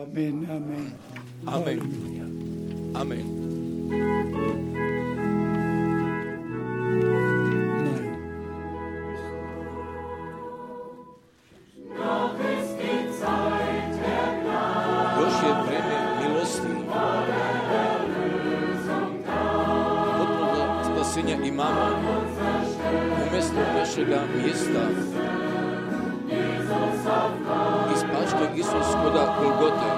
Amen, amen. Amen. Amen. Nein. Još je vreme milosti. Potpuno spasenja imamo umjesto našega mjesta. Ispašta Isus koda Golgote.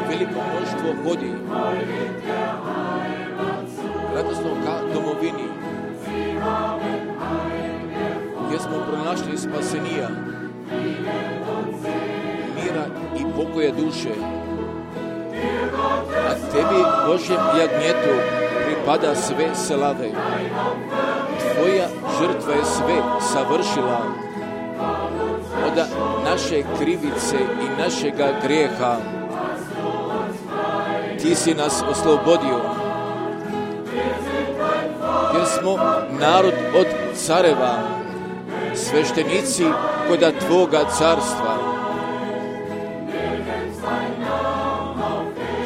Veliko mnoštvo hodi radosno ka domovini, gdje smo pronašli spasenija, mira i pokoja duše. A tebi, Božjem jagnjetu, pripada sve slave. Tvoja žrtva je sve savršila. Od naše krivice i našega grijeha ti si nas oslobodio. Jer smo narod od careva, sveštenici koda tvoga carstva.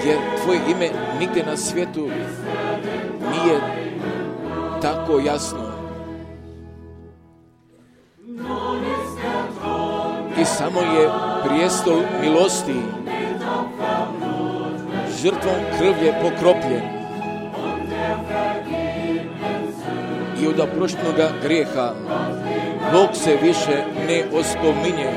Jer tvoje ime nigdje na svijetu nije tako jasno. I samo je prijestol milosti, žrtvom krvlje pokropljen. I od oproštenoga grijeha Bog se više ne ospominje.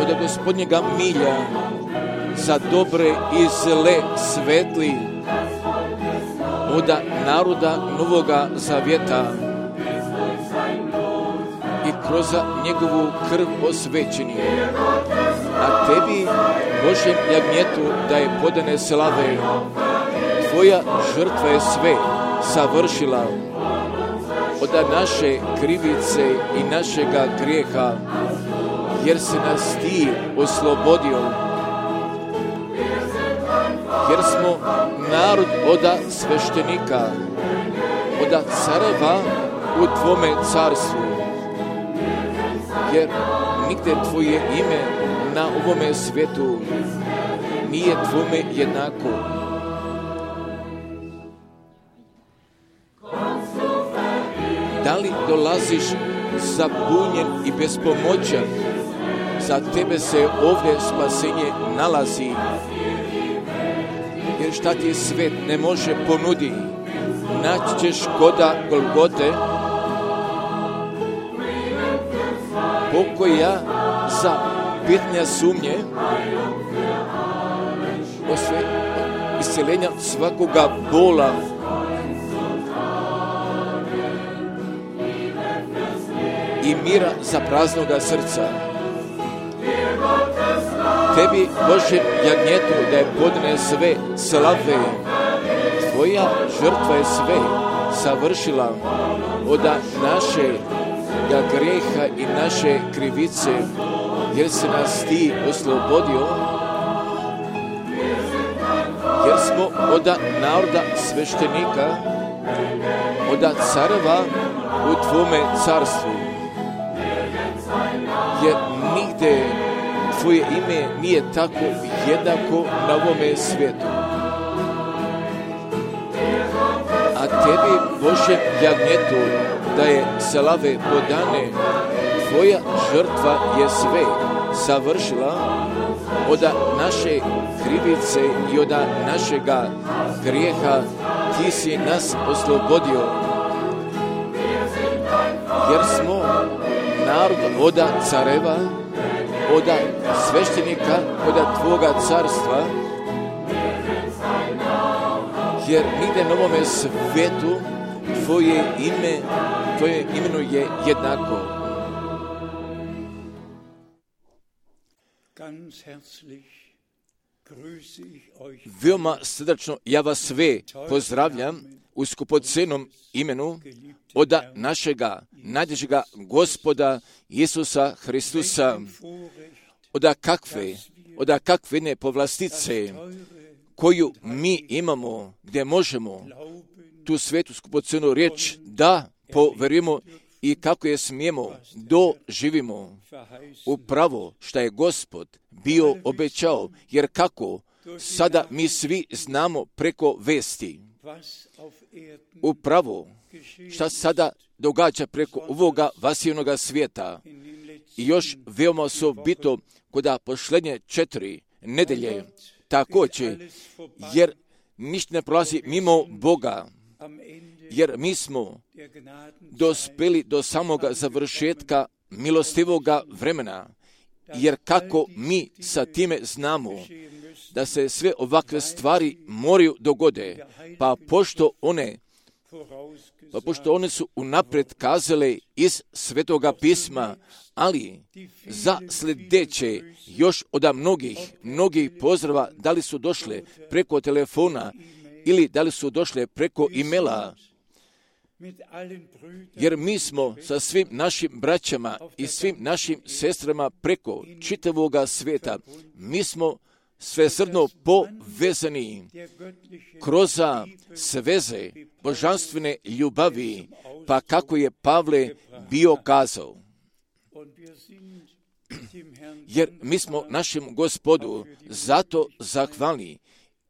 Od Gospodnjega milja za dobre i zle svetli, od naroda Novoga Zavjeta i kroz njegovu krv osvećeni. A tebi, Božjem jagnjetu, da je podane slave. Tvoja žrtva je sve savršila. Od naše krivice i našega grijeha, jer se nas ti oslobodio. Jer smo narod od sveštenika, od careva u tvome carstvu. Jer nigde tvoje ime na ovome svijetu nije tvome jednako. Da li dolaziš zabunjen i bespomoćan? Za tebe se ovdje spasenje nalazi. Jer šta ti svet ne može ponudi, naći ćeš koda Golgote, pokoja za pitanja sumnje, isceljenja svakoga bola, i mira za praznoga srca. Tebi, Božjem jagnjetu, da je podane sve slave. Tvoja žrtva je sve savršila. Od našega grijeha i naše krivice, jer se nas ti oslobodio. Jer smo od naroda sveštenika, od careva u tvome carstvu. Jer nigde tvoje ime nije tako jednako na ovome svijetu. A tebi, Božjem jagnjetu, da je slave podane, tvoja žrtva je sve savršila. Od naše krivice i od našega grijeha ti si nas oslobodio. Jer smo narod od careva, od sveštenika, od tvoga carstva, jer nigde na ovome svijetu tvoje imeno je jednako. Veoma srdačno ja vas sve pozdravljam u skupocenom imenu od našega najdražega Gospoda Isusa Hristusa, od kakve ne povlastice koju mi imamo, gdje možemo tu svetu skupocenu riječ da poverujemo i kako je smijemo doživimo upravo što je Gospod bio obećao, jer kako sada mi svi znamo preko vesti upravo šta sada događa preko ovoga vasivnoga svijeta i još veoma osobito kod posljednje 4 nedelje također, jer ništa ne prolazi mimo Boga, jer mi smo dospeli do samoga završetka milostivoga vremena, jer kako mi sa time znamo da se sve ovakve stvari moraju dogode, pa pošto one su unaprijed kazale iz Svetoga pisma, ali za sljedeće još od mnogih pozdrava, da li su došle preko telefona ili da li su došle preko e-maila, jer mi smo sa svim našim braćama i svim našim sestrama preko čitavoga svijeta, mi smo svesrdno povezani kroz sveze božanstvene ljubavi, pa kako je Pavle bio kazao. Jer mi smo našem Gospodu zato zahvalni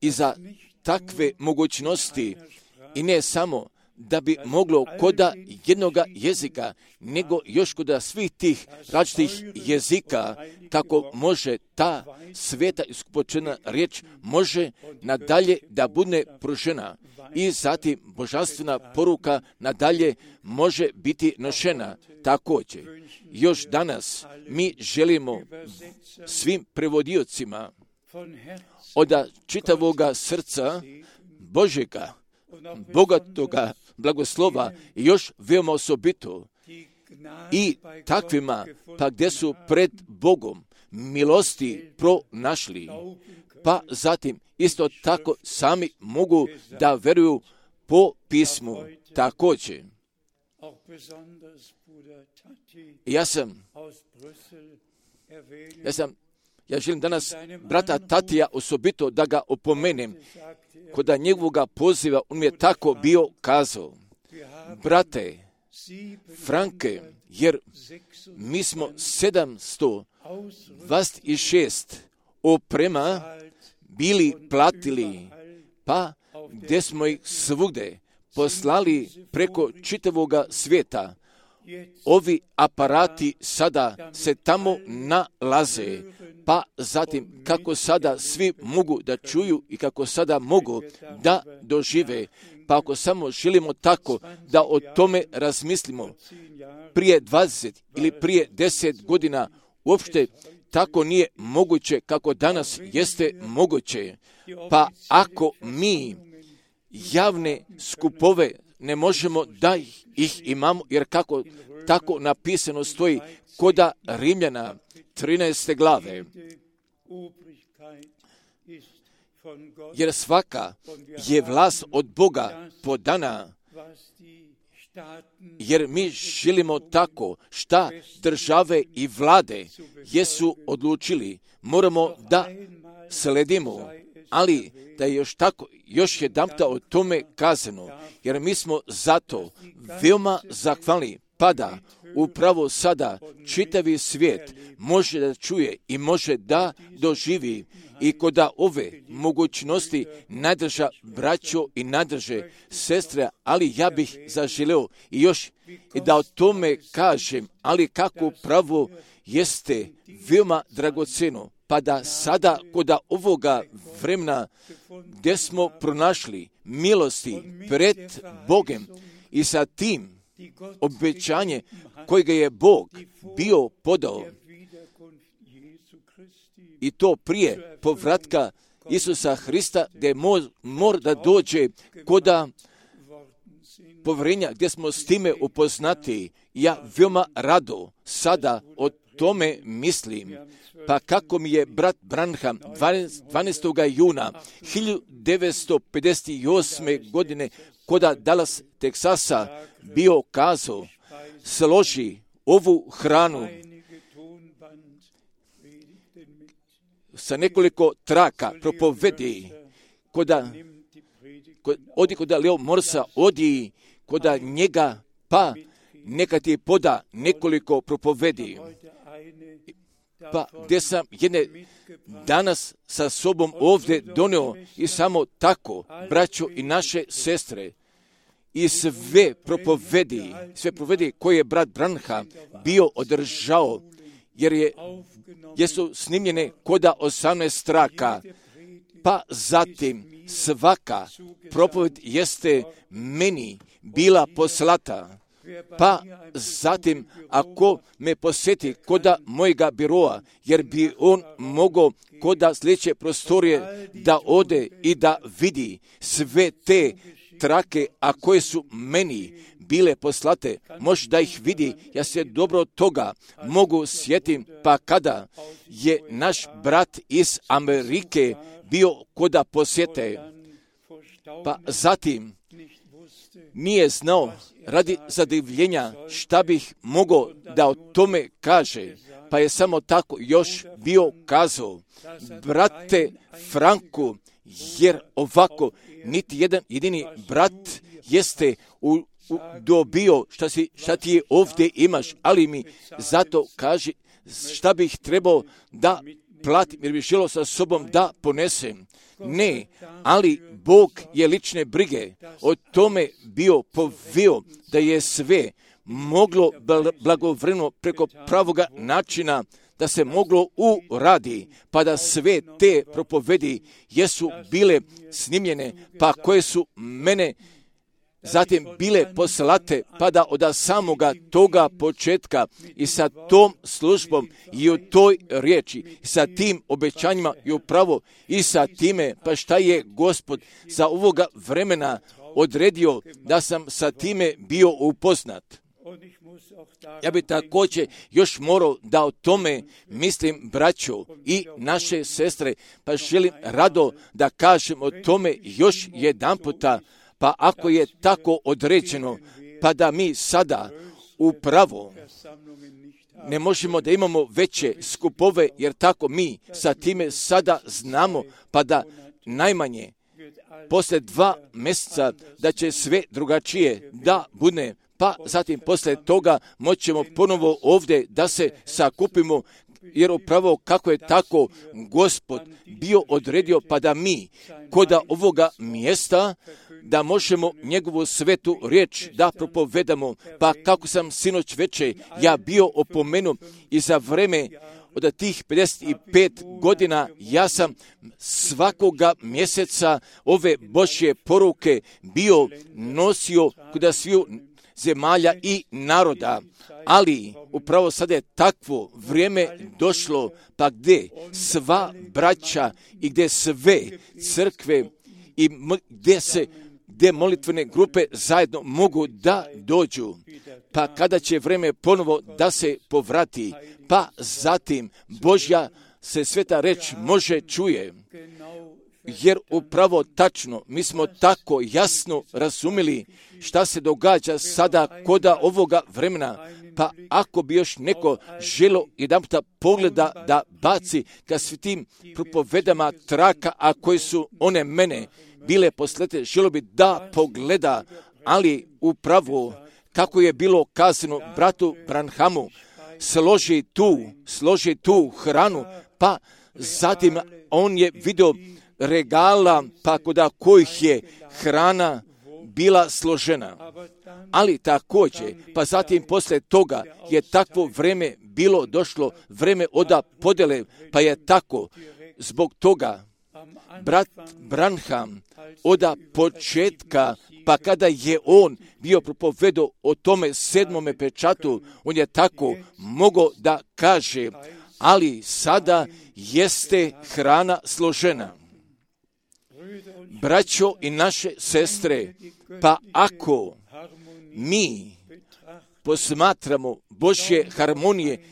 i za takve mogućnosti i ne samo da bi moglo koda jednoga jezika, nego još koda svih tih različitih jezika, kako može ta sveta iskupočena riječ može nadalje da bude pružena i zatim božanstvena poruka nadalje može biti nošena. Također, još danas mi želimo svim prevodiocima od čitavoga srca Božjega, bogatoga blagoslova i još veoma osobito i takvima pa gdje su pred Bogom milosti pronašli, pa zatim isto tako sami mogu da veruju po pismu. Također, ja želim danas brata Tatija osobito da ga opomenem. Kod njegovoga poziva on mi je tako bio kazao: brate Franke, jer mi smo 726 oprema bili platili, pa gdje smo ih svugde poslali preko čitavoga svijeta. Ovi aparati sada se tamo nalaze, pa zatim kako sada svi mogu da čuju i kako sada mogu da dožive, pa ako samo želimo tako da o tome razmislimo, prije 20 ili prije 10 godina uopšte tako nije moguće kako danas jeste moguće. Pa ako mi javne skupove ne možemo da ih imamo, jer kako tako napisano stoji koda Rimljana 13. glave, jer svaka je vlast od Boga podana, jer mi želimo tako šta države i vlade jesu odlučili, moramo da sledimo, ali da je još jedanputa o tome kazano, jer mi smo zato veoma zahvalni, pa da upravo sada čitavi svijet može da čuje i može da doživi i koda ove mogućnosti nadrža braćo i nadrže sestre, ali ja bih zaželeo i još i da o tome kažem, ali kako pravo jeste veoma dragoceno, pa da sada koda ovoga vremena gdje smo pronašli milosti pred Bogem i sa tim obećanje kojega je Bog bio podao, i to prije povratka Isusa Hrista, gdje mora da dođe koda povjerenja, gdje smo s time upoznati. Ja veoma rado sada o tome mislim. Pa kako mi je brat Branham 12. juna 1958. godine koda Dallas, Teksasa bio kazao: složi ovu hranu sa nekoliko traka, propovedi, odi koda Leo Morsa, odi koda njega pa neka ti poda nekoliko propovedi. Pa gdje sam jedne danas sa sobom ovdje donio i samo tako, braćo i naše sestre, i sve propovedi koje je brat Branham bio održao, jer su snimljene koda 18 traka, pa zatim svaka propoved jeste meni bila poslata. Pa zatim, ako me posjeti koda mojega biroa, jer bi on mogao koda sljedeće prostorije da ode i da vidi sve te trake, a koje su meni bile poslate, može da ih vidi. Ja se dobro toga mogu sjetim, pa kada je naš brat iz Amerike bio koda posjete, pa zatim nije znao radi zadivljenja šta bih mogao da o tome kaže, pa je samo tako još bio kazao, brate Franku, jer ovako niti jedan jedini brat jeste dobio šta ti je ovdje imaš, ali mi zato kaži šta bih trebao da platim, jer bih želio sa sobom da ponesem. Ne, ali Bog je lične brige o tome bio povio da je sve moglo blagovremeno preko pravoga načina da se moglo uradi, pa da sve te propovedi jesu bile snimljene, pa koje su mene zatim bile poslate, pa da od samoga toga početka i sa tom službom i u toj riječi, i sa tim obećanjima i upravo i sa time, pa šta je Gospod za ovoga vremena odredio da sam sa time bio upoznat. Ja bi također još morao da o tome mislim, braćo i naše sestre, pa želim rado da kažem o tome još jedan puta. Pa ako je tako određeno, pa da mi sada upravo ne možemo da imamo veće skupove, jer tako mi sa time sada znamo, pa da najmanje poslije 2 mjeseca da će sve drugačije da bude, pa zatim poslije toga moćemo ponovo ovdje da se sakupimo, jer upravo kako je tako Gospod bio odredio, pa da mi koda ovoga mjesta da možemo njegovu svetu riječ da propovedamo, pa kako sam sinoć večer ja bio opomenut i za vreme od tih 55 godina ja sam svakoga mjeseca ove Božje poruke bio nosio kod sviju zemalja i naroda, ali upravo sada je takvo vrijeme došlo, pa gdje sva braća i gdje sve crkve i gdje molitvene grupe zajedno mogu da dođu, pa kada će vrijeme ponovo da se povrati, pa zatim Božja se sveta reč može čuje. Jer upravo tačno, mi smo tako jasno razumjeli šta se događa sada koda ovoga vremena, pa ako bi još neko želo jedan puta pogleda da baci ka svitim propovedama traka, a koji su one mene bile poslete, želo bi da pogleda, ali upravo kako je bilo kazano bratu Branhamu, složi tu hranu, pa zatim on je vidio regala, pa kod kojih je hrana bila složena. Ali također, pa zatim poslije toga je takvo vrijeme bilo došlo, vrijeme od podjele, pa je tako zbog toga brat Branham od početka, pa kada je on bio propovedao o tome 7. pečatu, on je tako mogao da kaže, ali sada jeste hrana složena. Braćo i naše sestre, pa ako mi posmatramo Božje harmonije,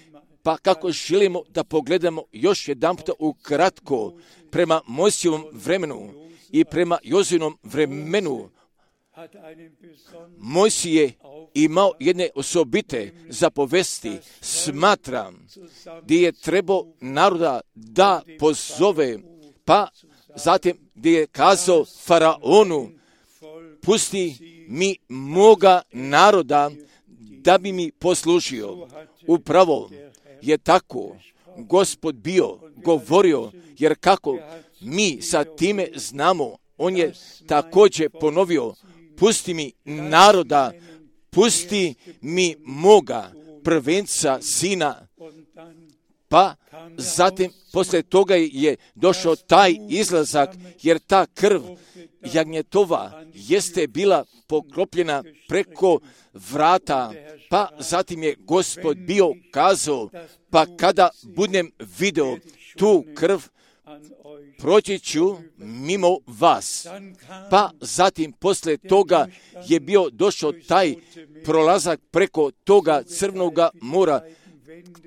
pa kako želimo da pogledamo još jedan puta ukratko prema Mojsijevom vremenu i prema Jozinom vremenu, Mojsije imao jedne osobite zapovesti, smatram, gdje je trebao naroda da pozove, pa zatim gdje je kazao faraonu, pusti mi moga naroda da bi mi poslužio. Upravo je tako Gospod bio govorio, jer kako mi sa time znamo, on je također ponovio, pusti mi naroda, pusti mi moga prvenca sina. Pa zatim poslije toga je došao taj izlazak, jer ta krv jagnjetova jeste bila pokropljena preko vrata. Pa zatim je Gospod bio kazao, pa kada budem video tu krv, proći ću mimo vas. Pa zatim poslije toga je bio došao taj prolazak preko toga Crvenoga mora.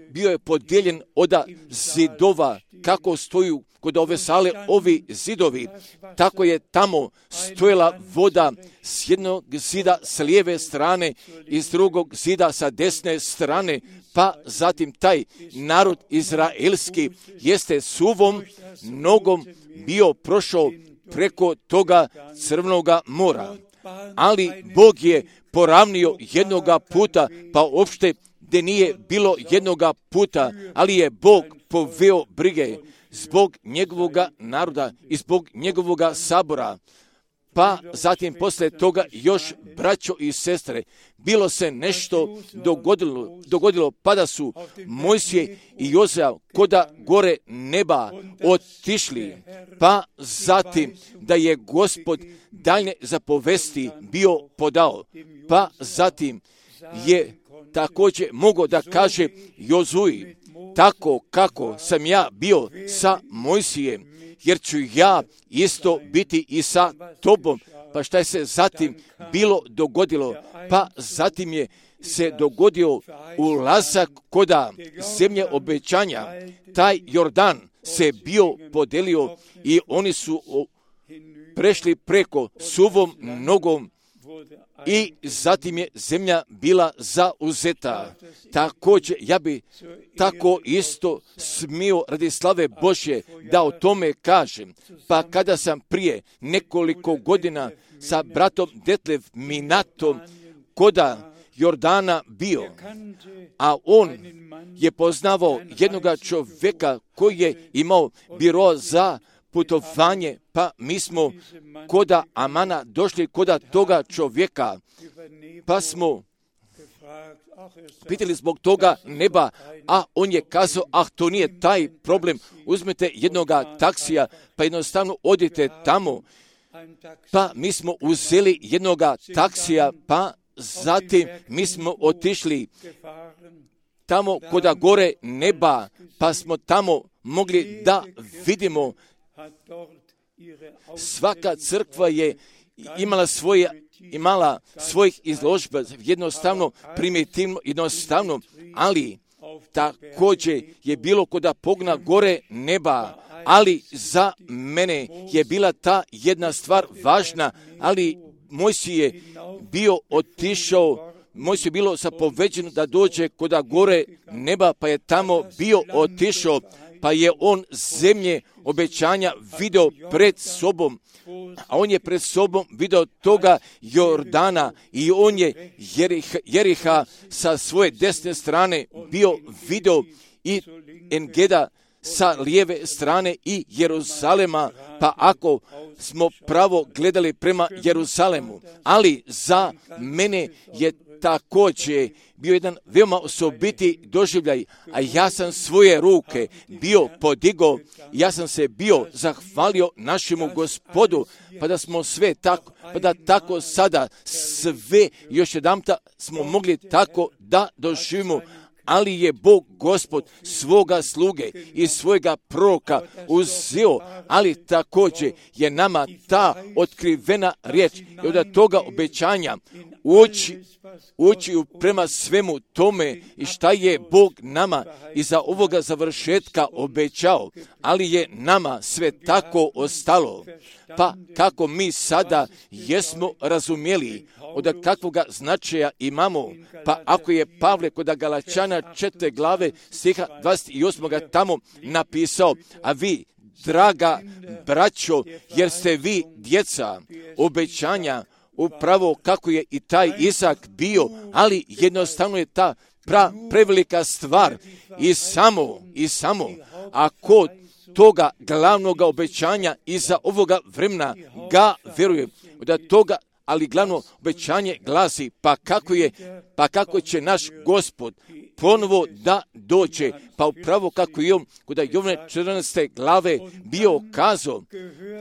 Bio je podijeljen od zidova, kako stoju kod ove sale ovi zidovi. Tako je tamo stojala voda s jednog zida s lijeve strane i s drugog zida sa desne strane. Pa zatim taj narod izraelski jeste suvom nogom bio prošao preko toga Crvenoga mora. Ali Bog je poravnio jednoga puta, pa uopšte gdje nije bilo jednoga puta, ali je Bog poveo brige zbog njegovoga naroda i zbog njegovoga sabora. Pa zatim poslije toga još, braćo i sestre, bilo se nešto dogodilo, pa da su Mojsije i Jozea koda gore neba otišli, pa zatim da je Gospod daljnje zapovesti bio podao, pa zatim je također mogao da kaže Jozuji, tako kako sam ja bio sa Mojsijem, jer ću ja isto biti i sa tobom. Pa šta je se zatim bilo dogodilo? Pa zatim je se dogodio ulazak koda zemlje obećanja. Taj Jordan se bio podelio i oni su prešli preko suvom nogom i zatim je zemlja bila zauzeta. Također, ja bi tako isto smio radi slave Božje da o tome kažem. Pa kada sam prije nekoliko godina sa bratom Detlev Minatom koda Jordana bio, a on je poznavao jednoga čovjeka koji je imao biro za putovanje, pa mi smo koda Amana došli koda toga čovjeka, pa smo pitali zbog toga neba, a on je kazao, to nije taj problem, uzmete jednoga taksija, pa jednostavno odite tamo. Pa mi smo uzeli jednoga taksija, pa zatim mi smo otišli tamo koda gore neba, pa smo tamo mogli da vidimo. Svaka crkva je imala svojih izložba, jednostavno, primitivno, jednostavno, ali također je bilo koda pogna gore neba, ali za mene je bila ta jedna stvar važna, ali Mojsije je bio otišao, Mojsije je bilo zapoveđeno da dođe koda gore neba, pa je tamo bio otišao, pa je on zemlje obećanja video pred sobom, a on je pred sobom video toga Jordana i on je Jeriha sa svoje desne strane bio video i Engeda sa lijeve strane i Jeruzalema, pa ako smo pravo gledali prema Jeruzalemu, ali za mene je također bio jedan veoma osobiti doživljaj, a ja sam svoje ruke bio podigao, ja sam se bio zahvalio našemu Gospodu, pa da smo sve tako, pa da tako sada sve još jedanputa smo mogli tako da doživimo, ali je Bog Gospod svoga sluge i svojega proroka uzeo, ali također je nama ta otkrivena riječ i od toga obećanja ući prema svemu tome i šta je Bog nama iza ovoga završetka obećao, ali je nama sve tako ostalo. Pa kako mi sada jesmo razumjeli od kakvoga značaja imamo, pa ako je Pavle kod Galačana 4. glave stiha 28. tamo napisao, a vi, draga braćo, jer ste vi djeca obećanja, upravo kako je i taj Izak bio, ali jednostavno je ta prevelika stvar i samo ako toga glavnog obećanja iza ovoga vremena ga vjeruje, da toga, ali glavno obećanje glasi, pa kako će naš Gospod ponovo da dođe, pa upravo kako je on kod Jovane 14. glave bio kazao,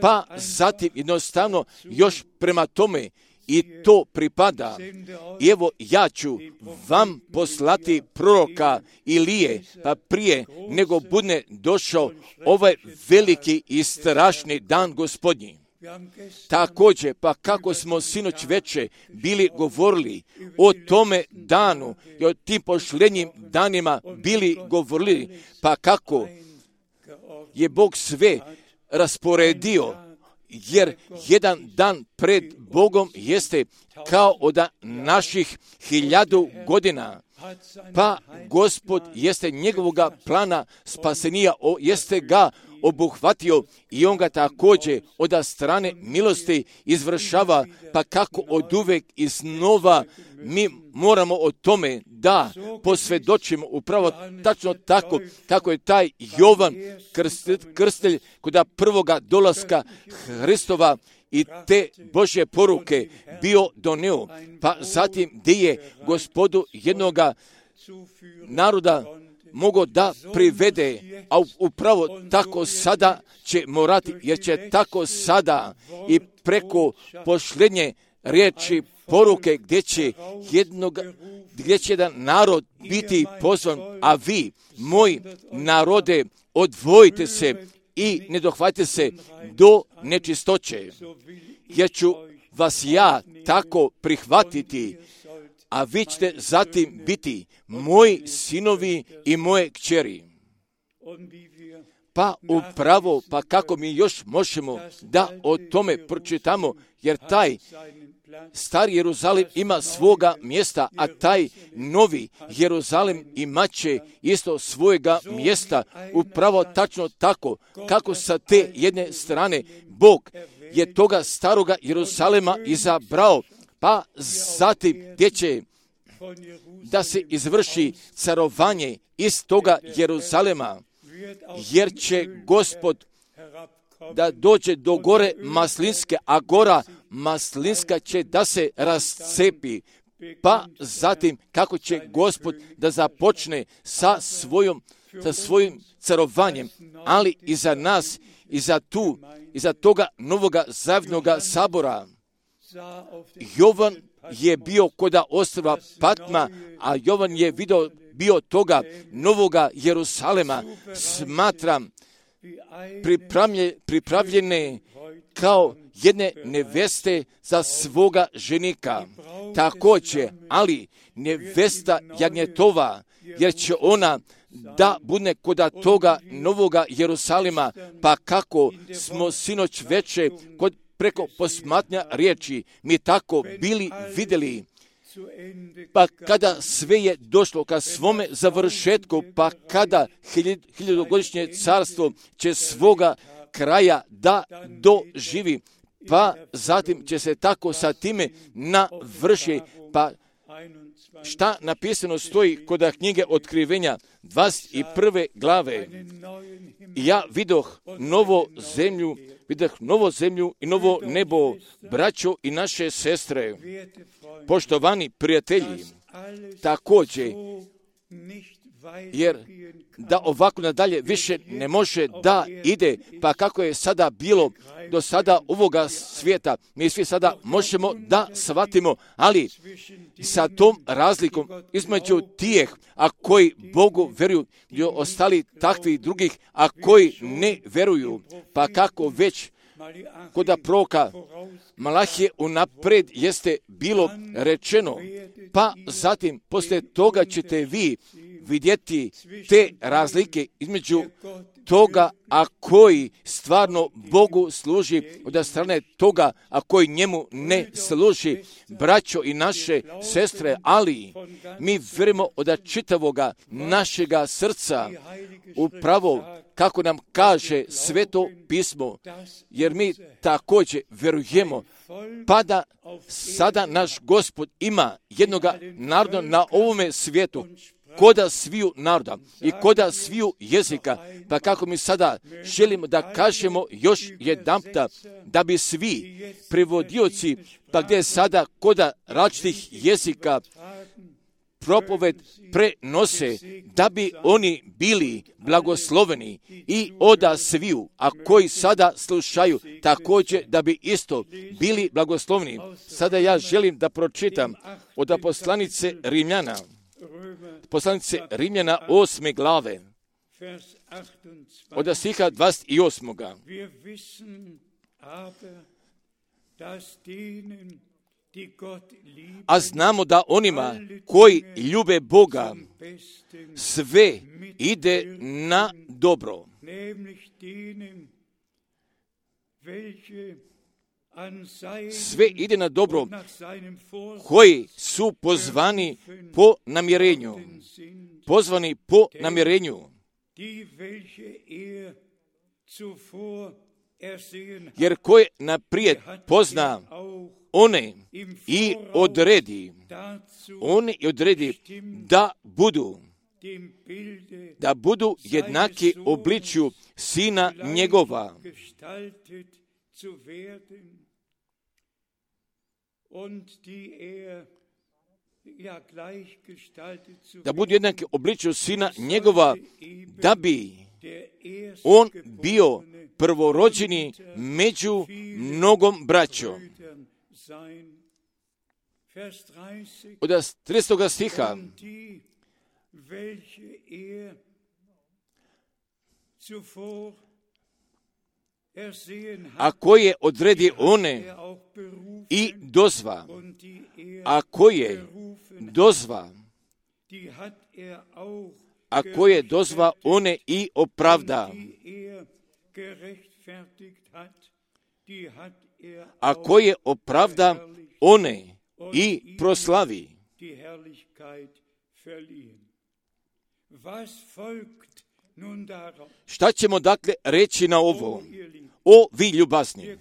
pa zatim jednostavno još prema tome i to pripada. I evo ja ću vam poslati proroka Ilije, pa prije nego bude došao ovaj veliki i strašni dan Gospodnji. Također, pa kako smo sinoć veče bili govorili o tome danu i o tim pošlenjim danima bili govorili, pa kako je Bog sve rasporedio, jer jedan dan pred Bogom jeste kao od naših 1000 godina. Pa Gospod jeste njegovoga plana spasenija, jeste ga obuhvatio i on ga također od strane milosti izvršava, pa kako od uvek iznova mi moramo o tome da posvjedočimo upravo tačno tako kako je taj Jovan Krstitelj kod prvoga dolaska Hristova i te Božje poruke bio donio, pa zatim gdje je Gospodu jednoga naroda mogao da privede, a upravo tako sada će morati, jer će tako sada i preko pošljenje riječi poruke gdje će jedan narod biti pozvan, a vi, moji narode, odvojite se i ne dohvatite se do nečistoće, jer ću vas ja tako prihvatiti, a vi ćete zatim biti moji sinovi i moje kćeri. Pa upravo, pa kako mi još možemo da o tome pročitamo, jer taj stari Jeruzalim ima svoga mjesta, a taj novi Jeruzalim imat će isto svojega mjesta, upravo tačno tako, kako sa te jedne strane Bog je toga staroga Jeruzalema izabrao, pa zatim gdje će da se izvrši carovanje iz toga Jeruzalema, jer će Gospod da dođe do gore Maslinske, a gora Maslinska će da se rascepi, pa zatim kako će Gospod da započne sa svojim carovanjem, ali i za nas, i za toga novoga zavnoga sabora. Jovan je bio koda ostrva Patma, a Jovan je bio toga novoga Jerusalema, smatram pripravljene kao jedne neveste za svoga ženika. Također, ali nevesta jagnjetova, jer će ona da bude koda toga novoga Jerusalima, pa kako smo sinoć veče preko posmatranja riječi mi tako bili vidjeli, pa kada sve je došlo ka svome završetku, pa kada 1000-godišnje carstvo će svoga kraja da doživi, pa zatim će se tako sa time navrši, pa šta napisano stoji kod knjige Otkrivenja 21. glave. Ja vidoh novo zemlju i novo nebo, braćo i naše sestre, poštovani prijatelji, također, jer da ovako nadalje više ne može da ide, pa kako je sada bilo do sada ovoga svijeta, mi svi sada možemo da shvatimo, ali sa tom razlikom između tijeh, a koji Bogu vjeruju, i ostali takvi drugih, a koji ne vjeruju, pa kako već kod proroka Malahije unaprijed jeste bilo rečeno, pa zatim poslije toga ćete vi vidjeti te razlike između toga, a koji stvarno Bogu služi, od strane toga, a koji njemu ne služi, braćo i naše sestre, ali mi vjerujemo od čitavoga našega srca, upravo kako nam kaže Sveto pismo, jer mi također vjerujemo, pa da sada naš Gospod ima jednoga naroda na ovome svijetu, koda sviju naroda i koda sviju jezika, pa kako mi sada želimo da kažemo još jedanputa, da bi svi prevodioci, pa gdje sada koda različitih jezika propoved prenose, da bi oni bili blagosloveni i oda sviju, a koji sada slušaju također da bi isto bili blagosloveni. Sada ja želim da pročitam od poslanice Rimljana, poslanice Rimljana 8. glave, od stiha 28. A znamo da onima koji ljube Boga sve ide na dobro. Sve ide na dobro koji su pozvani po namjerenju. Pozvani po namjerenju. Jer koje naprijed pozna one i odredi da budu jednaki obličju Sina njegova. Da budu jednaki obličju Sina njegova, da bi on bio prvorođeni među mnogom braćom. Od 30. stiha, a koje odredi one i dozva, a koje dozva, a koje dozva one i opravda, a koje opravda one i proslavi. Šta ćemo dakle reći na ovo? O vi ljubazni,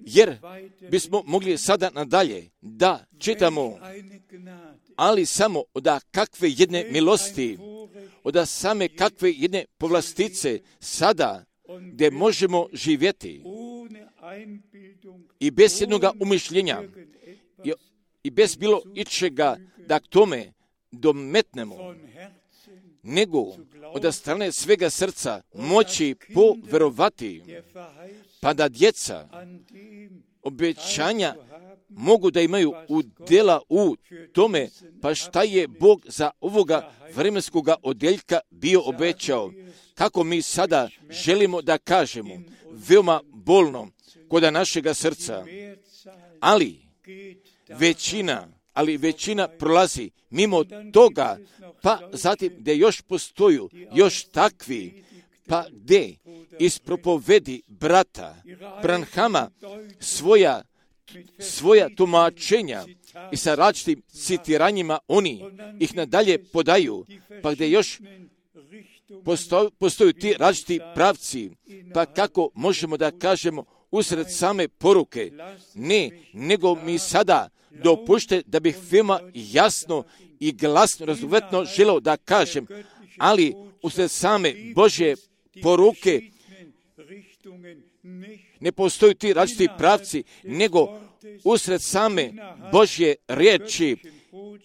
jer bismo mogli sada nadalje da čitamo, ali samo od kakve jedne milosti, od same kakve jedne povlastice sada gdje možemo živjeti i bez jednoga umišljenja i bez bilo ičega da k tome dometnemo, nego od strane svega srca moći poverovati, pa da djeca obećanja mogu da imaju udjela u tome, pa šta je Bog za ovoga vremenskoga odjeljka bio obećao, kako mi sada želimo da kažemo, veoma bolno kod našega srca, ali većina prolazi mimo toga, pa zatim gdje još postoju još takvi, pa gdje iz propovedi brata Branhama svoja tumačenja i sa različitim citiranjima oni ih nadalje podaju, pa gdje još postoju ti različiti pravci, pa kako možemo da kažemo usred same poruke, ne, nego mi sada dopušte da bih veoma jasno i glasno, razumjetno želeo da kažem, ali usred same Božje poruke ne postoju ti različiti pravci, nego usred same Božje riječi,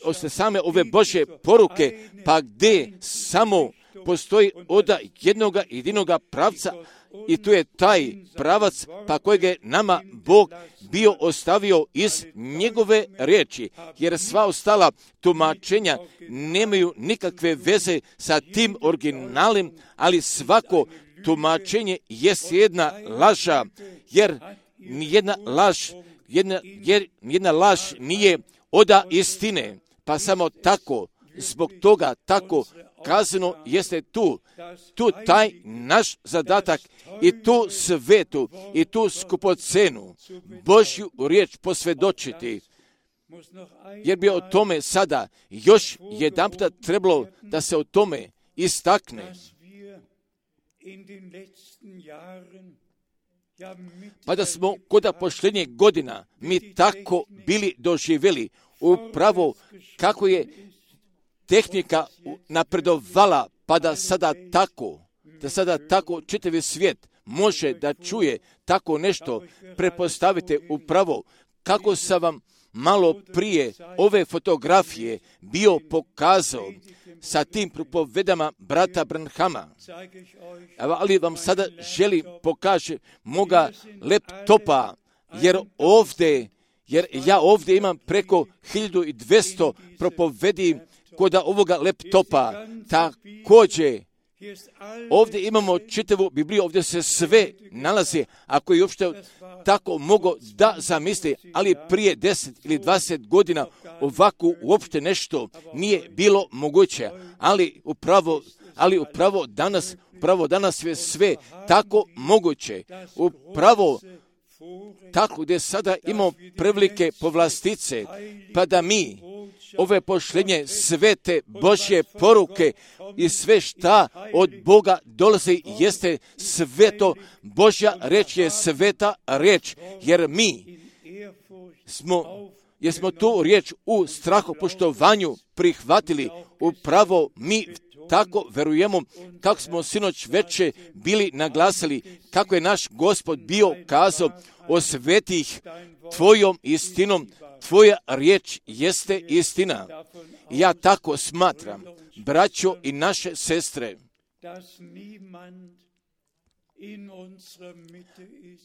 usred same ove Božje poruke, pa gdje samo postoji od jednoga jedinoga pravca, i tu je taj pravac pa kojeg je nama Bog bio ostavio iz njegove riječi, jer sva ostala tumačenja nemaju nikakve veze sa tim originalnim, ali svako tumačenje jest jedna laža, jer nijedna laž nije oda istine, pa samo tako, zbog toga tako kazano jeste tu taj naš zadatak i tu svetu i tu skupocenu Božju riječ posvjedočiti, jer bi o tome sada još jedanputa trebalo da se o tome istakne, Pa da smo kod posljednjih godina mi tako bili doživjeli upravo kako je tehnika napredovala, pa da sada tako čitavi svijet može da čuje tako nešto. Pretpostavite upravo kako sam vam malo prije ove fotografije bio pokazao sa tim propovedama brata Branhama. Ali vam sada želim pokaže moga laptopa, jer ja ovdje imam preko 1200 propovedi kod ovoga laptopa. Također, ovdje imamo čitavu Bibliju, ovdje se sve nalazi, ako je uopšte tako mogu da zamisli, ali prije 10 ili 20 godina ovako uopšte nešto nije bilo moguće, ali upravo danas je sve tako moguće, upravo tako gdje sada imamo prevelike povlastice, pa da mi ove pošljenje svete Božje poruke i sve šta od Boga dolazi jeste sveto, Božja reč je sveta reč, jer mi smo tu riječ u strahopoštovanju prihvatili, upravo mi tako verujemo, kako smo sinoć veče bili naglasili, kako je naš Gospod bio kazao o svetih tvojom istinom, tvoja riječ jeste istina. Ja tako smatram, braćo i naše sestre,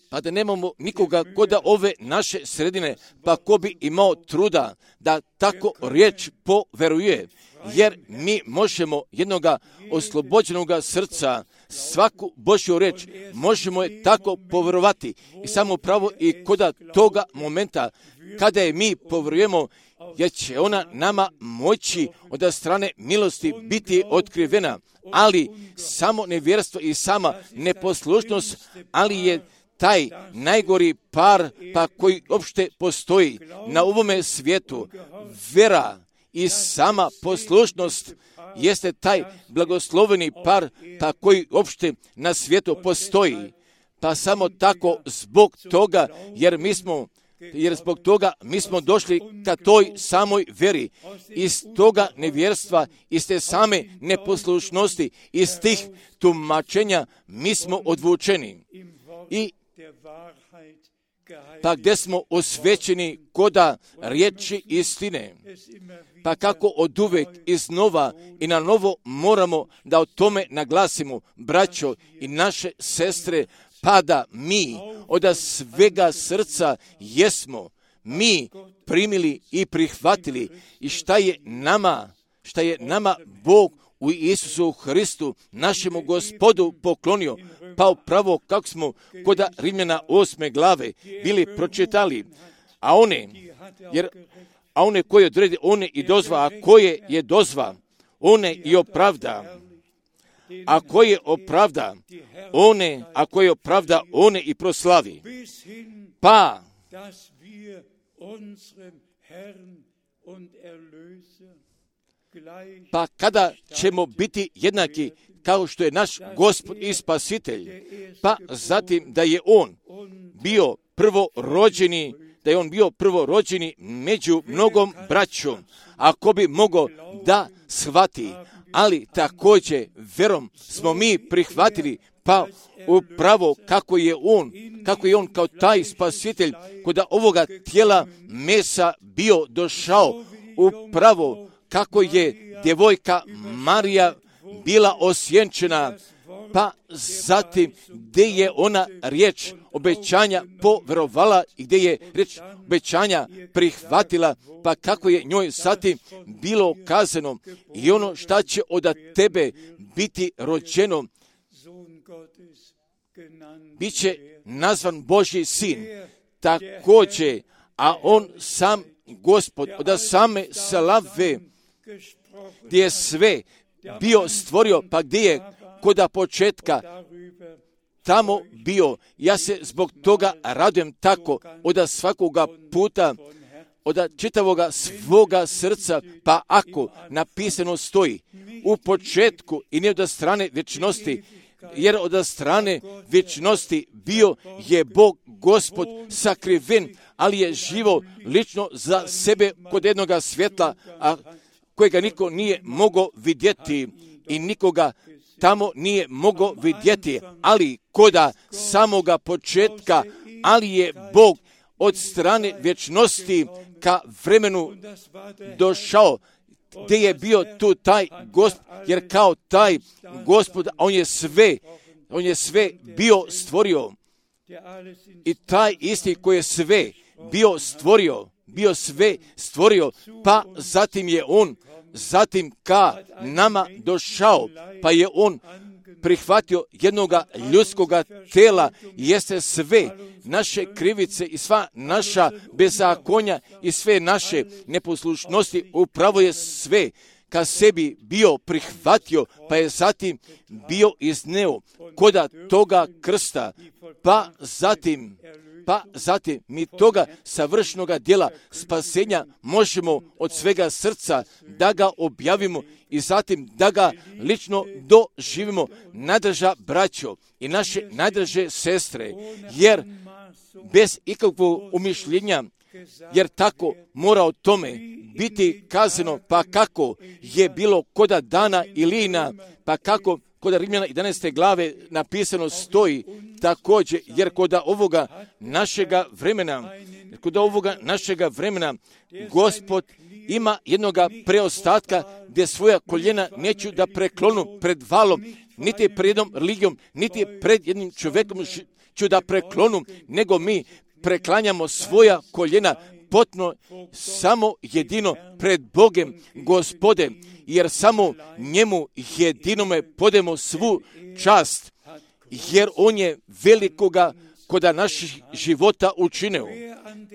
pa da nemamo nikoga kod ove naše sredine, pa ko bi imao truda da tako riječ poveruje, jer mi možemo jednoga oslobođenoga srca, svaku Božju riječ možemo je tako poverovati i samo pravo i kod toga momenta kada je mi poverujemo, jer će ona nama moći od strane milosti biti otkrivena, ali samo nevjerstvo i sama neposlušnost, ali je taj najgori par pa koji uopšte postoji na ovome svijetu, vera i sama poslušnost jeste taj blagosloveni par pa koji uopšte na svijetu postoji. Pa samo tako zbog toga, jer zbog toga mi smo došli ka toj samoj veri. Iz toga nevjerstva, iz te same neposlušnosti, iz tih tumačenja mi smo odvučeni. I pa gdje smo osvećeni koda riječi istine, pa kako od uvek iznova i na novo moramo da o tome naglasimo, braćo i naše sestre, pa da mi od svega srca jesmo mi primili i prihvatili i šta je nama Bog u Isusu Hristu, našemu Gospodu poklonio, pa upravo kako smo kod Rimljana 8. glave bili pročitali, a one koje odredi, one i dozva, a koje je dozva, one i opravda. A koje opravda, one i proslavi. Pa kada ćemo biti jednaki kao što je naš Gospod i Spasitelj, pa zatim da je On bio prvorođeni među mnogom braćom, ako bi mogao da shvati, ali također verom smo mi prihvatili, pa upravo kako je on kao taj Spasitelj kod ovoga tijela mesa bio došao, upravo kako je djevojka Marija bila osjenčena, pa zatim gdje je ona riječ obećanja poverovala i gdje je riječ obećanja prihvatila, pa kako je njoj zatim bilo kazano i ono šta će od tebe biti rođeno, bit će nazvan Božji sin. Također, a on sam Gospod od same slave, gdje je sve bio stvorio, pa gdje je kod početka tamo bio. Ja se zbog toga radujem tako od svakoga puta, od čitavoga svoga srca, pa ako napisano stoji u početku i ne od strane vječnosti, jer od strane vječnosti bio je Bog Gospod sakriven, ali je živo lično za sebe kod jednoga svjetla, a kojega niko nije mogao vidjeti i nikoga tamo nije mogao vidjeti, ali koda samoga početka, ali je Bog od strane vječnosti ka vremenu došao, gdje je bio tu taj Gospod, jer kao taj Gospod, on je sve bio stvorio. I taj isti koji je sve bio sve stvorio, pa zatim je on ka nama došao, pa je on prihvatio jednoga ljudskoga tela, jeste sve naše krivice i sva naša bezakonja i sve naše neposlušnosti, upravo je sve ka sebi bio prihvatio, pa je zatim bio izneo koda toga krsta, pa zatim mi toga savršenoga djela spasenja možemo od svega srca da ga objavimo i zatim da ga lično doživimo, najdraža braćo i naše najdraže sestre, jer bez ikakvog umišljenja, jer tako mora o tome biti kazano, pa kako je bilo koda dana Ilina, pa kako kod Rimljana 11. glave napisano stoji također, jer kod ovoga našega vremena Gospod ima jednoga preostatka gdje svoja koljena neću da preklonu pred valom, niti pred jednom religijom, niti pred jednim čovjekom ću da preklonu, nego mi preklanjamo svoja koljena potpuno samo jedino pred Bogem Gospodem, jer samo njemu jedinome podemo svu čast, jer on je velikoga koda naših života učinio.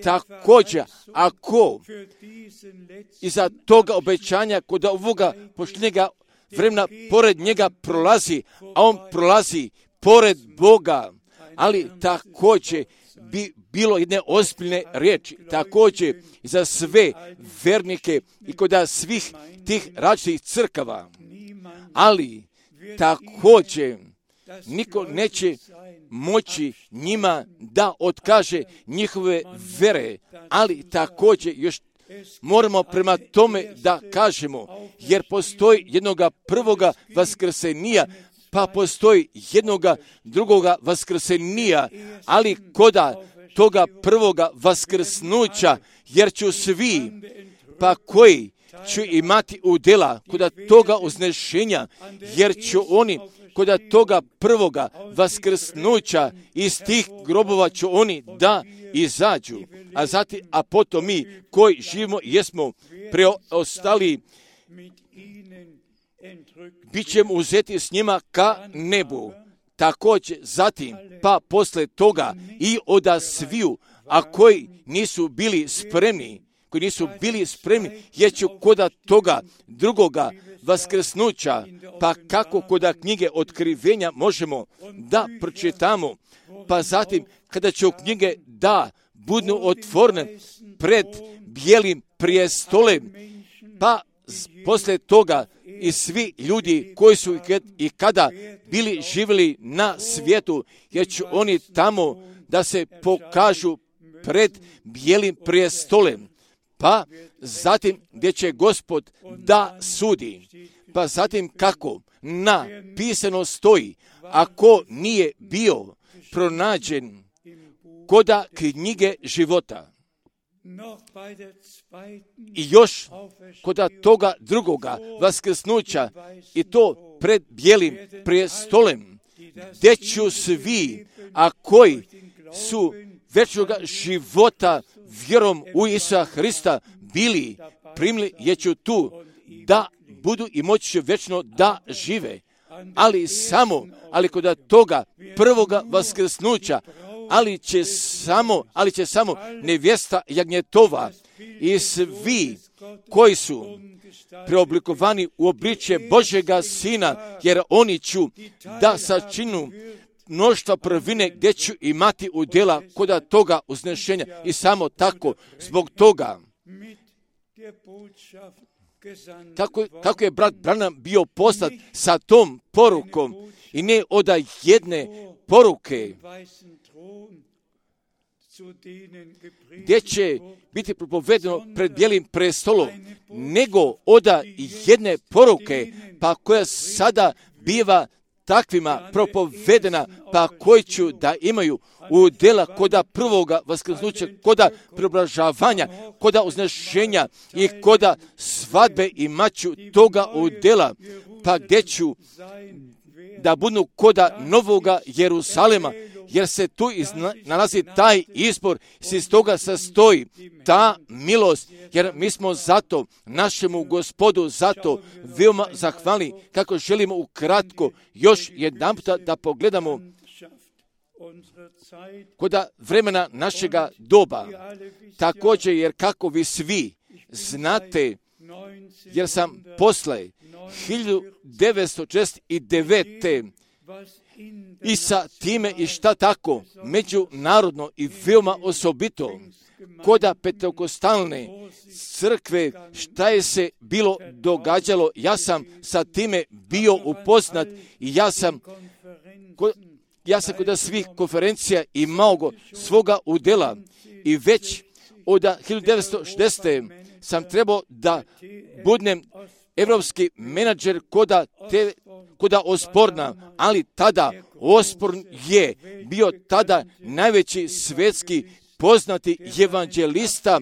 Također, ako iza toga obećanja koda ovoga pošljenjega vremena pored njega prolazi, a on prolazi pored Boga, ali također bi bilo jedne ozbiljne riječi, također za sve vernike i kod svih tih različitih crkava, ali također niko neće moći njima da otkaže njihove vere, ali također još moramo prema tome da kažemo, jer postoji jednoga prvoga vaskrsenija, pa postoji jednoga drugoga vaskrsenija, ali koda toga prvoga vaskrsnuća, jer ću svi, pa koji ću imati udjela koda toga uznešenja, jer ću oni koda toga prvoga vaskrsnuća iz tih grobova ću oni da izađu, a potom mi koji živimo jesmo preostali, bit ćemo uzeti s njima ka nebu. Također zatim, pa posle toga i oda sviju, a koji nisu bili spremni, jer ću koda toga drugoga vaskrsnuća, pa kako koda knjige otkrivenja možemo da pročitamo, pa zatim kada će knjige da budu otvorene pred bijelim prijestolem, pa posle toga i svi ljudi koji su i kada bili živjeli na svijetu, jer će oni tamo da se pokažu pred bijelim prijestolem, pa zatim gdje će Gospod da sudi, pa zatim kako napisano stoji, ako nije bio pronađen koda knjige života. I još koda toga drugoga vaskrsnuća i to pred bijelim prijestolem, gdje ću svi, a koji su vječnoga života vjerom u Isusa Hrista bili primili, jer ću tu da budu i moći će vječno da žive. Ali koda toga prvoga vaskrsnuća, ali će samo nevjesta jagnjetova i svi koji su preoblikovani u obličje Božjega Sina, jer oni ću da sačinu mnoštva prvine gdje ću imati udjela koda toga uznešenja. I samo tako, zbog toga kako je brat Branham bio poslat sa tom porukom i ne od jedne poruke gdje će biti propovedeno pred bijelim prestolom, nego od jedne poruke, pa koja sada biva takvima propovedena, pa koji ću da imaju udjela koda prvoga vaskrsnuća, koda preobražavanja, koda uznešenja i koda svadbe i maću toga udjela, pa gdje ću da budu koda novoga Jeruzalema, jer se tu nalazi taj izbor, iz toga sastoji ta milost, jer mi smo zato našemu Gospodu zato veoma zahvalni, kako želimo ukratko još jedanputa da pogledamo koda vremena našega doba. Također, jer kako vi svi znate, jer sam posle 1969. i sa time i šta tako međunarodno i veoma osobito koda pentekostalne crkve šta je se bilo događalo, ja sam sa time bio upoznat i ja sam kod svih konferencija imao svoga udjela i već od 1960. sam trebao da budem evropski menadžer koda Osborna, ali tada Osborn je bio tada najveći svjetski poznati evanđelista,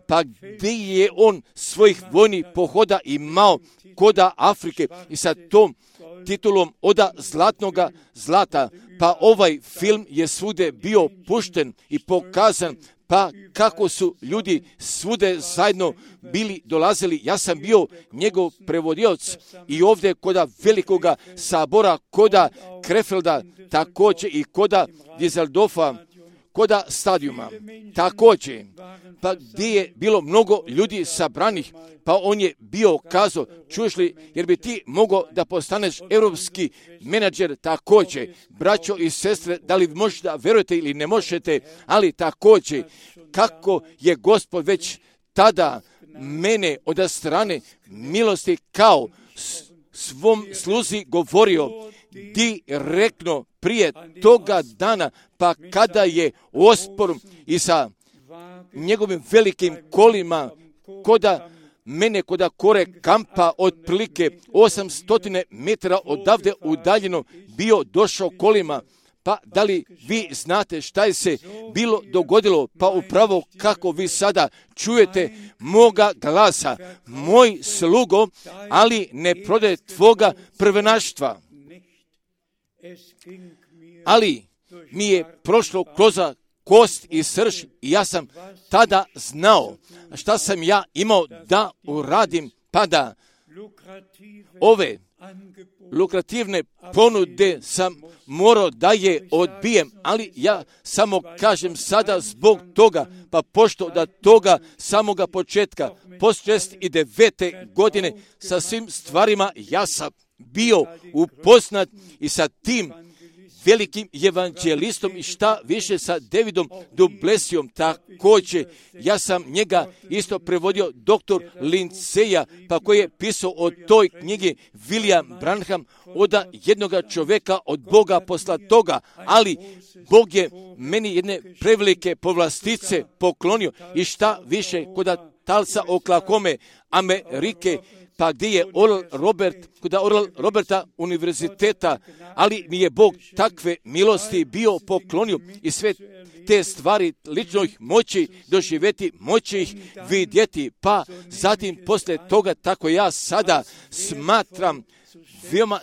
pa gdje je on svojih vojnih pohoda imao koda Afrike i sa tom titulom oda zlatnoga zlata, pa ovaj film je svude bio pušten i pokazan, pa kako su ljudi svude zajedno bili dolazili. Ja sam bio njegov prevodioc i ovdje koda velikoga sabora, koda Krefelda, također i koda Dizeldorfa, koda stadijuma. Također, pa gdje je bilo mnogo ljudi sabranih, pa on je bio kazao, čuješ li, jer bi ti mogao da postaneš europski menadžer također. Braćo i sestre, da li možete da verujete ili ne možete, ali također, kako je Gospod već tada mene od strane milosti kao svom sluzi govorio direktno prije toga dana, pa kada je Osborn i njegovim velikim kolima koda mene koda kore kampa otprilike 800 metara odavde udaljeno bio došao kolima. Pa da li vi znate šta je se bilo dogodilo? Pa upravo kako vi sada čujete moga glasa, moj slugo, ali ne prodaje tvoga prvenaštva. Ali mi je prošlo kroz kost i srž i ja sam tada znao šta sam ja imao da uradim, pa da ove lukrativne ponude sam morao da je odbijem, ali ja samo kažem sada zbog toga, pa pošto da toga samoga početka, post 69. godine sa svim stvarima ja sam bio upoznat i sa tim velikim evanđelistom i šta više sa Davidom Duplessijom također. Ja sam njega isto prevodio doktor Linceja, pa koji je pisao o toj knjigi William Branham od jednoga čovjeka od Boga posla toga, ali Bog je meni jedne prevelike povlastice poklonio i šta više kod talca Oklahome, Amerike, pa gdje je kod Oral Roberta univerziteta, ali mi je Bog takve milosti bio poklonio i sve te stvari lično ih moći doživjeti, moći ih vidjeti, pa zatim poslije toga tako ja sada smatram veoma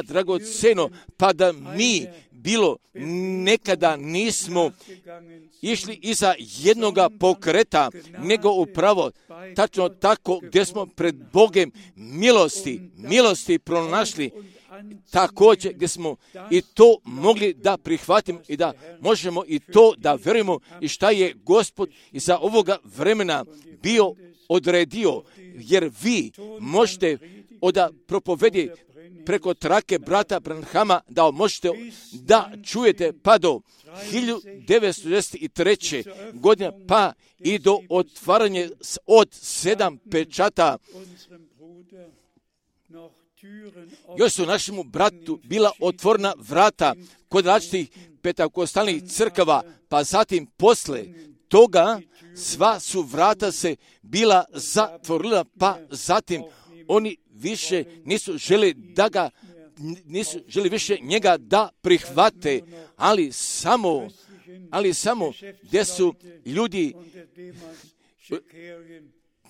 dragoceno, pa da mi bilo nekada nismo išli iza jednoga pokreta, nego upravo tačno tako gdje smo pred Bogem milosti pronašli, također gdje smo i to mogli da prihvatimo i da možemo i to da verujemo i šta je Gospod iza ovoga vremena bio odredio, jer vi možete od propovedi preko trake brata Branhama da možete da čujete pa do 1993. godine pa i do otvaranja od 7 pečata. Još su našemu bratu bila otvorena vrata kod različitih pentakostalnih crkava, pa zatim posle toga sva su vrata se bila zatvorila, pa zatim oni više nisu želi više njega da prihvate, ali samo gdje su ljudi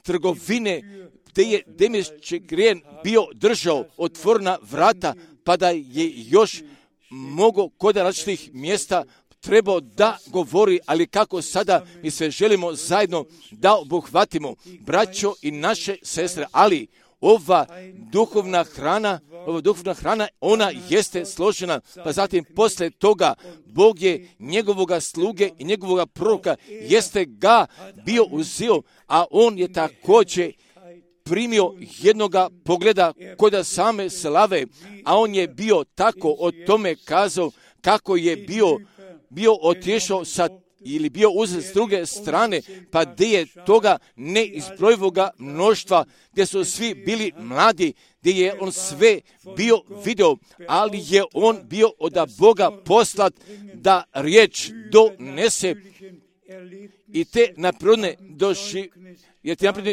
trgovine, gdje je Demetčegrijen bio držao otvorena vrata, pa da je još mogo kod različitih mjesta trebao da govori, ali kako sada mi sve želimo zajedno da obuhvatimo, braćo i naše sestre, ali ova duhovna hrana, ona jeste složena, pa zatim posle toga Bog je njegovoga sluge i njegovoga proroka jeste ga bio uzeo, a on je također primio jednoga pogleda kod same slave, a on je bio tako o tome kazao kako je bio otišao ili bio uzet s druge strane, pa gdje je toga neizbrojivoga mnoštva, gdje su svi bili mladi, gdje je on sve bio video, ali je on bio od Boga poslat da riječ donese i te napredne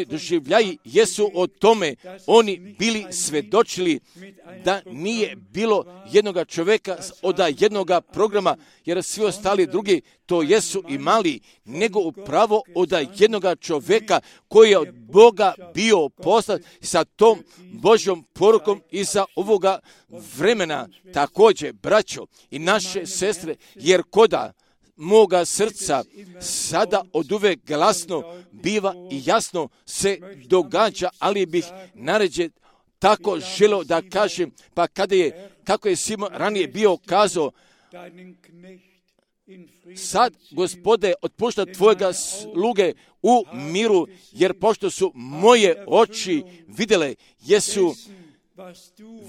doživljaji jesu o tome oni bili svedočili da nije bilo jednoga čovjeka od jednoga programa, jer svi ostali drugi to jesu imali, nego upravo od jednoga čovjeka koji je od Boga bio poslat sa tom Božjom porukom iza ovoga vremena. Također, braćo i naše sestre, jer koda moga srca sada oduvek glasno biva i jasno se događa, ali bih naređe tako želio da kažem, pa kako je Simon ranije bio kazao, sad, Gospode, otpušta tvojega sluge u miru, jer pošto su moje oči jesu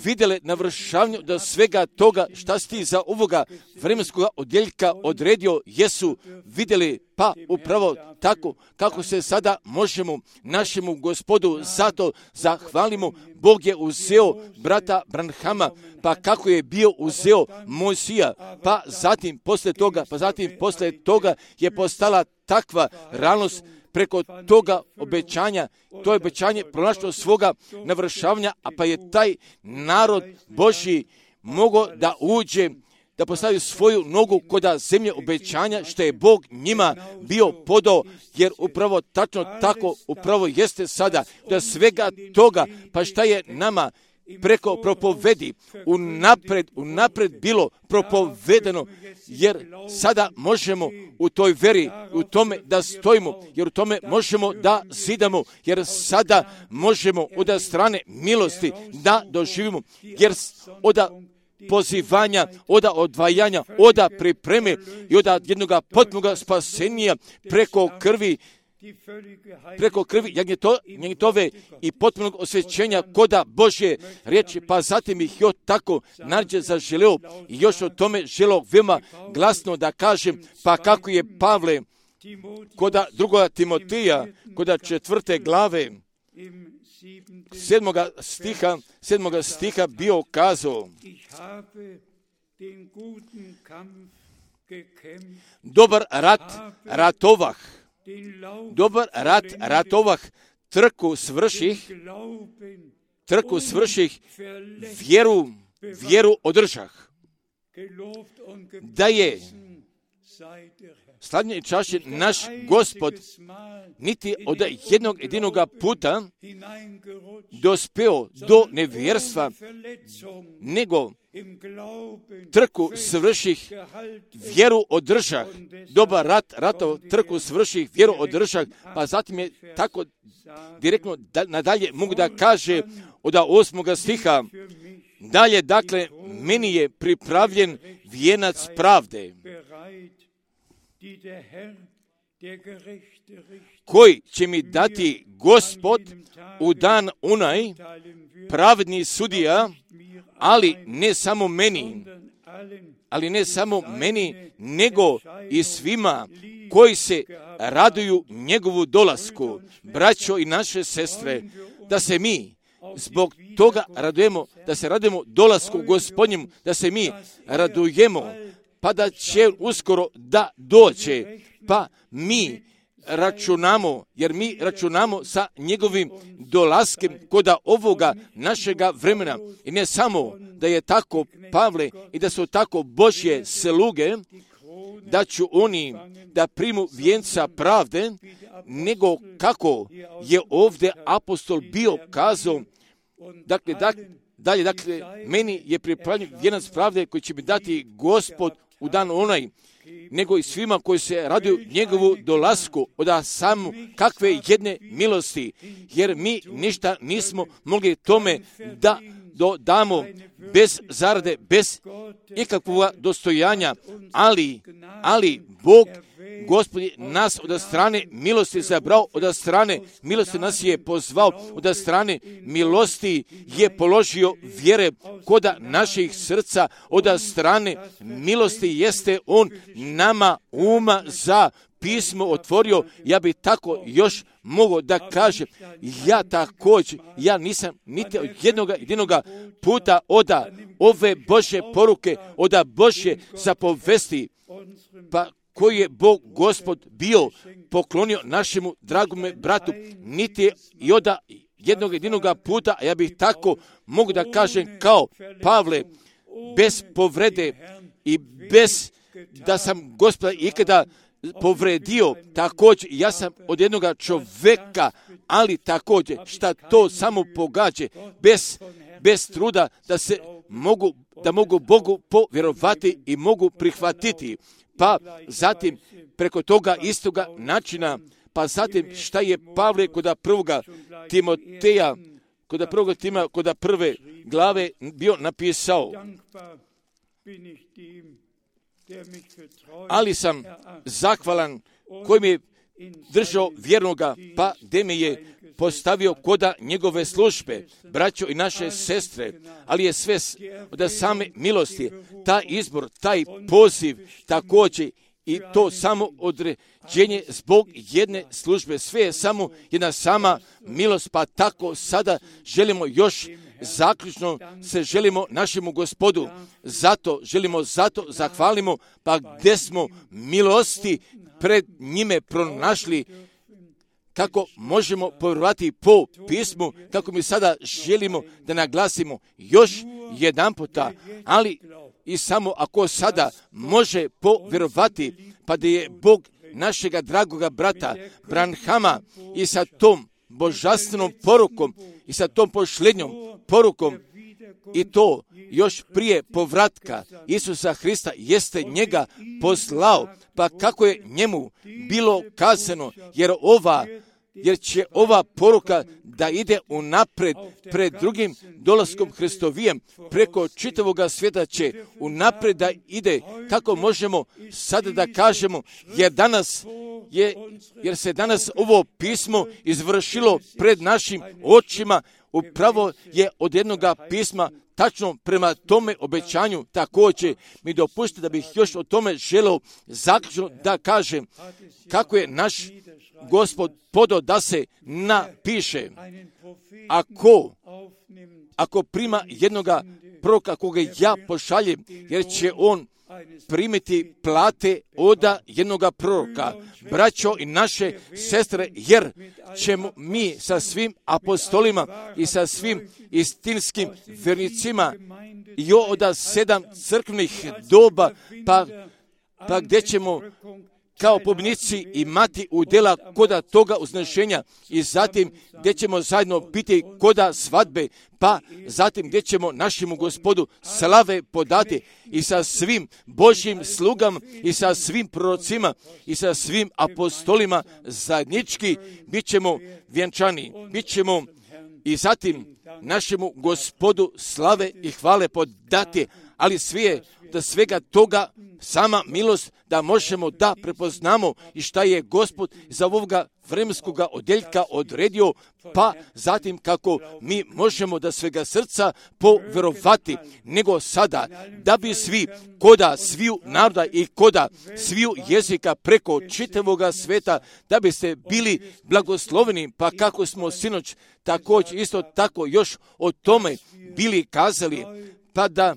vidjele navršavanju do svega toga šta si ti za ovoga vremenskog odjeljka odredio, jesu vidjeli, pa upravo tako kako se sada možemo našemu Gospodu zato zahvalimo. Bog je uzeo brata Branhama, pa kako je bio uzeo Mojsija, pa zatim posle toga je postala takva realnost preko toga obećanja, to je obećanje pronašlo svoga navršavanja, a pa je taj narod Božji mogao da uđe, da postavi svoju nogu kod zemlje obećanja, što je Bog njima bio podao, jer upravo tačno tako upravo jeste sada, da svega toga, pa šta je nama preko propovedi unapred bilo propovedeno, jer sada možemo u toj veri, u tome da stojimo, jer u tome možemo da zidamo, jer sada možemo od strane milosti da doživimo, jer od pozivanja, od odvajanja, od pripreme i od jednoga potpunog spasenja preko krvi jagnjetove i potpunog osvećenja koda Božje riječi, pa zatim ih još tako nađe zaželeo i još o tome želeo veoma glasno da kažem, pa kako je Pavle koda 2. Timotija, koda 4. glave 7. stiha bio kazao: dobar rat ratovah, trku svrših, vjeru održah. Da je slavljen i čašćen naš Gospod niti od jednog jedinoga puta dospeo do nevjerstva, nego trku svrših, vjeru održah. Dobar ratov, trku svrših, vjeru održah, pa zatim je tako direktno nadalje mogu da kaže od 8. stiha, dalje, dakle, meni je pripravljen vijenac pravde, koji će mi dati Gospod u dan onaj, pravedni sudija, ali ne samo meni, nego i svima koji se raduju njegovu dolasku. Braćo i naše sestre, da se mi zbog toga radujemo, da se radujemo dolasku Gospodnjemu, da se mi radujemo, pa da će uskoro da dođe, pa mi računamo, jer mi računamo sa njegovim dolaskem koda ovoga našega vremena. I ne samo da je tako, Pavle, i da su tako Božje sluge, da ću oni da primu vijenca pravde, nego kako je ovdje apostol bio kazao, dakle, meni je pripravljen vijenac pravde koji će mi dati Gospod u dan onaj, nego i svima koji se raduju njegovu dolasku, od samo kakve jedne milosti, jer mi ništa nismo mogli tome da dodamo bez zarade, bez ikakvog dostojanja, ali Bog, Gospod nas od strane milosti zabrao, od strane milosti nas je pozvao, od strane milosti je položio vjere koda naših srca, od strane milosti jeste On nama uma za pismo otvorio. Ja bi tako još mogao da kažem, ja također, ja nisam niti jednoga puta od ove Božje poruke, od Božje zapovesti, pa koji je Bog Gospod bio poklonio našemu dragome bratu, niti i od jednoga puta, a ja bih tako mogu da kažem kao Pavle, bez povrede i bez da sam Gospoda ikada povredio, također ja sam od jednoga čovjeka, ali također šta to samo pogađa, bez truda da mogu Bogu povjerovati i mogu prihvatiti. Pa zatim preko toga istoga načina, pa zatim šta je Pavle kod prvoga Timoteja, kod prve glave bio napisao. Ali sam zahvalan koji mi je držao vjernoga, pa gdje me je postavio koda njegove službe, braćo i naše sestre, ali je sve od same milosti, taj izbor, taj poziv, također i to samo određenje zbog jedne službe, sve je samo jedna sama milost, pa tako sada želimo još zaključno se želimo našemu Gospodu, zato zahvalimo, pa gdje smo milosti pred njime pronašli, kako možemo povjerovati po pismu, kako mi sada želimo da naglasimo još jedan puta, ali i samo ako sada može povjerovati, pa da je Bog našega dragoga brata Branhama i sa tom božanstvenom porukom i sa tom posljednjom porukom, i to još prije povratka Isusa Hrista jeste njega poslao, pa kako je njemu bilo kazano, jer će ova poruka da ide unapred pred drugim dolaskom Hristovijem, preko čitavoga svijeta će unapred da ide, kako možemo sada da kažemo, jer se danas ovo pismo izvršilo pred našim očima, upravo je od jednoga pisma tačno prema tome obećanju. Također mi dopustite da bih još o tome želeo zaključno da kažem kako je naš Gospod podao da se napiše. Ako prima jednoga proroka koga ja pošaljem, jer će on primiti plate od jednoga proroka. Braćo i naše sestre, jer ćemo mi sa svim apostolima i sa svim istinskim vernicima i od 7 crkvenih doba, pa gdje ćemo kao pobjednici imati udjela koda toga uznešenja i zatim gdje ćemo zajedno biti koda svadbe, pa zatim gdje ćemo našemu Gospodu slave podati i sa svim Božjim slugama i sa svim prorocima i sa svim apostolima zajednički bit ćemo vjenčani, bit ćemo i zatim našemu Gospodu slave i hvale podati, ali da svega toga sama milost da možemo da prepoznamo i šta je Gospod za ovoga vremenskog odjeljka odredio, pa zatim kako mi možemo da svega srca povjerovati, nego sada, da bi svi, koda sviju naroda i koda sviju jezika preko čitavoga sveta, da biste bili blagosloveni, pa kako smo sinoć također isto tako još o tome bili kazali, pa da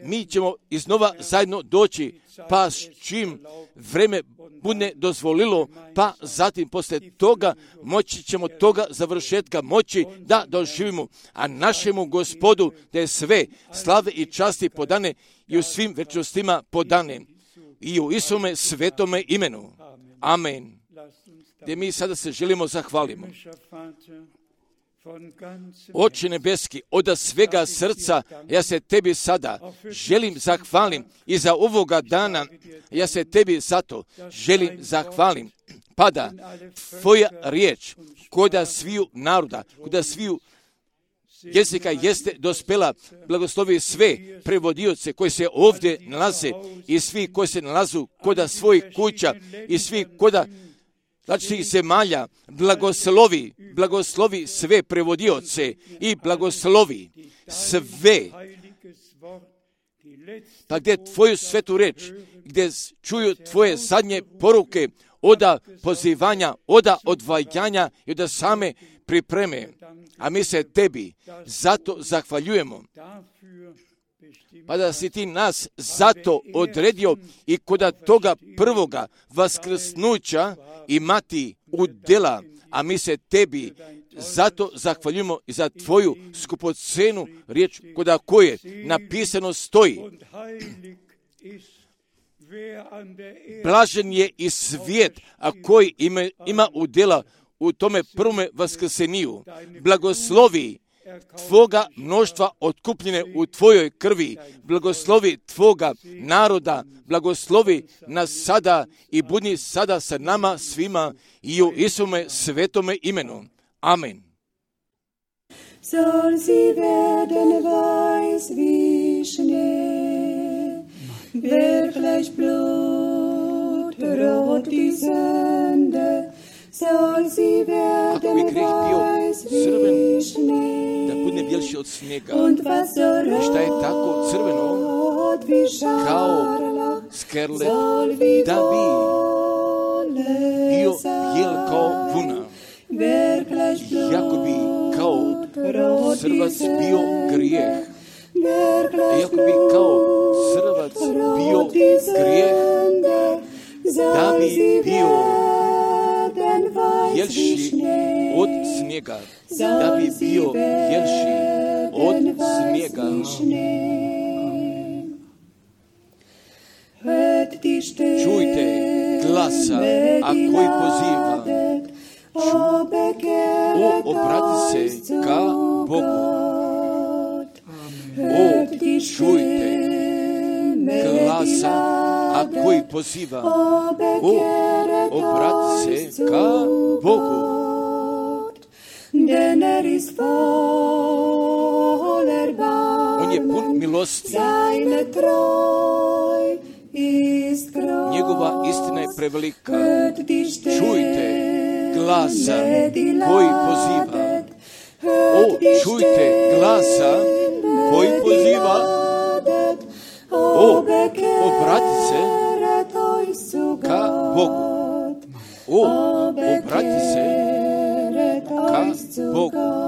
mi ćemo iznova zajedno doći, pa s čim vreme bude dozvolilo, pa zatim poslije toga moći ćemo toga završetka moći da doživimo, a našemu Gospodu da je sve slave i časti podane i u svim večnostima podane i u Isume svetome imenu. Amen. Gdje mi sada se želimo zahvalimo. Oče nebeski, od svega srca ja se tebi sada želim zahvalim i za ovoga dana ja se tebi zato želim zahvalim. Pada tvoja riječ koda sviju naroda, koda sviju jezika jeste dospela, blagoslovi sve prevodioce koji se ovdje nalaze i svi koji se nalazu koda svojih kuća i svi koda različitih zemalja, blagoslovi sve prevodioce i blagoslovi sve. Pa gdje tvoju svetu reč, gdje čuju tvoje zadnje poruke, oda pozivanja, oda odvajanja i oda same pripreme. A mi se tebi zato zahvaljujemo. Pa da si ti nas zato odredio i koda toga prvoga vaskrsnuća imati udjela, a mi se tebi zato zahvaljujemo i za tvoju skupocenu riječ koda koje napisano stoji. Blažen je i svijet, a koji ima udjela u tome prvome vaskrseniju. Blagoslovi tvoga mnoštva otkupljene u tvojoj krvi, blagoslovi tvoga naroda, blagoslovi nas sada i budi sada sa nama svima i u Isume svetome imenu. Amen. Soll sie werden weiß wie Schnee, wirklich blutrot die Sünde, soll sie werden weiß wie Schnee, da bude bjelši od snijega, und was so i šta je tako crveno rot wie kao Scharlach, skerlet, soll wie da bi bio Wolle bijel kao sein, vuna, wirklich jako bi kao crvac bio grijeh, jako bi kao crvac bio grijeh, da bi bio bjelši od snijega, da bi bio bjelši od snijega. Čujte glasa, a koji poziva, obrati se ka Bogu. Čujte glasa, a koji poziva, obrati se ka Bogu. On je pun milosti, njegova istina je prevelika. Čujte glasa koji poziva. Čujte glasa koji poziva. Obrati se ka Bogu. Obrati se ka Bogu.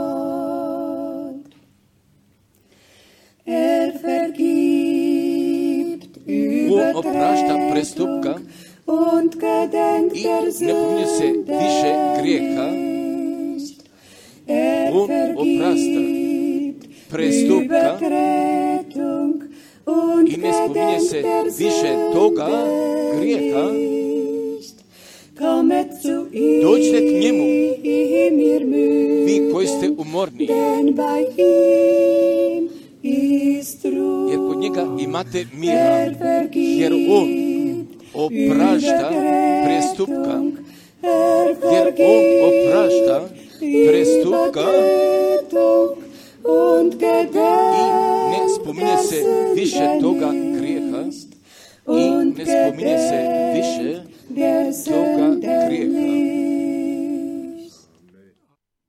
On oprašta prestupka i ne pominje se više grijeha. On oprašta prestupka i ne spominje se više toga grijeha. Dođite k njemu, vi koji ste umorni, jer kod njega imate mira, jer on oprašta prestupka, jer on oprašta prestupka i ne spominje se više toga grijeha i ne spominje se više toga